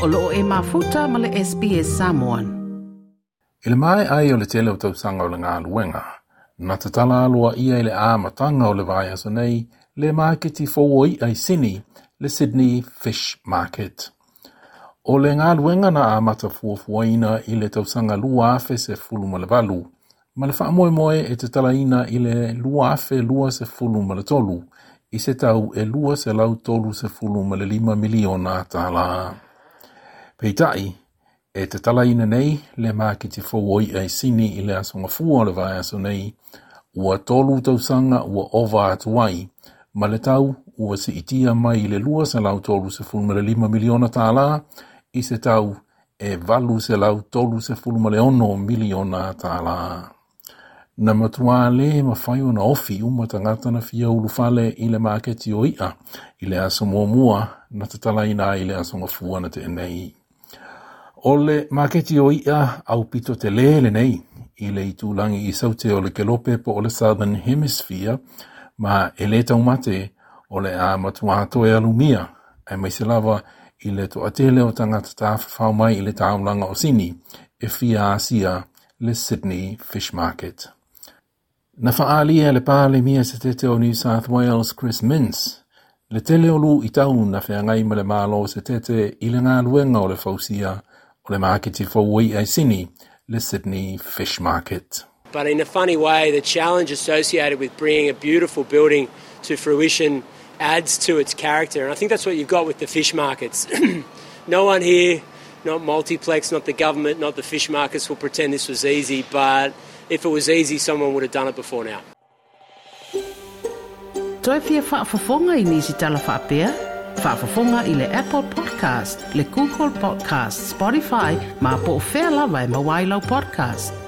O lo o e mafuta ma le SBS Samoan. I le maea ai o le tele o tausaga o le galuega, na tatala aloaia i le amataga o le vaiaso nei le maketi fou o i'a i Sini, le Sydney Fish Market. O le galuega na amata fuafuaina i le tausaga 2018, ma le faamoemoe e tatalaina i le 2023 i se tau e $235 miliona tālā. Peitai, e tatalaina nei le maketi fou o i'a i Sini i le Aso Gafua o le vaiaso nei, ua 3 tausaga ua ova atu ai, ma le tau ua siitia mai i le $235 miliona tālā i se tau e $836 miliona tālā. Na matua le mafai ona ofi uma tagata na fia ulufale i le maketi o i'a i le aso muamua na tatalaina ai i le Aso Gafua na tea nei. O le maketi o i'a aupito tele lenei i le itulagi i saute o le kelope po o le Southern Hemisphere, ma e le taumate o le a matua toe alumia, aemaise lava i le toatele o tagata tafafao mai i le taulaga o Sini e fia asia le Sydney Fish Market. Na faaalia e le Palemia Setete o New South Wales Chris Minns le tele o luitau na feagai ma le Malo Setete i le galuega o le fausia o le maketi fou o i'a i Sini, le Sydney Fish Market. But in a funny way, the challenge associated with bringing a beautiful building to fruition adds to its character. And I think that's what you've got with the fish markets. No one here, not Multiplex, not the government, not the fish markets, will pretend this was easy. But if it was easy, someone would have done it before now. Toe fia faafofoga i nisi tala faapea? Faafofoga i le Apple Podcast, le Google Podcast, Spotify, ma po o fea lava e maua ai lau podcast.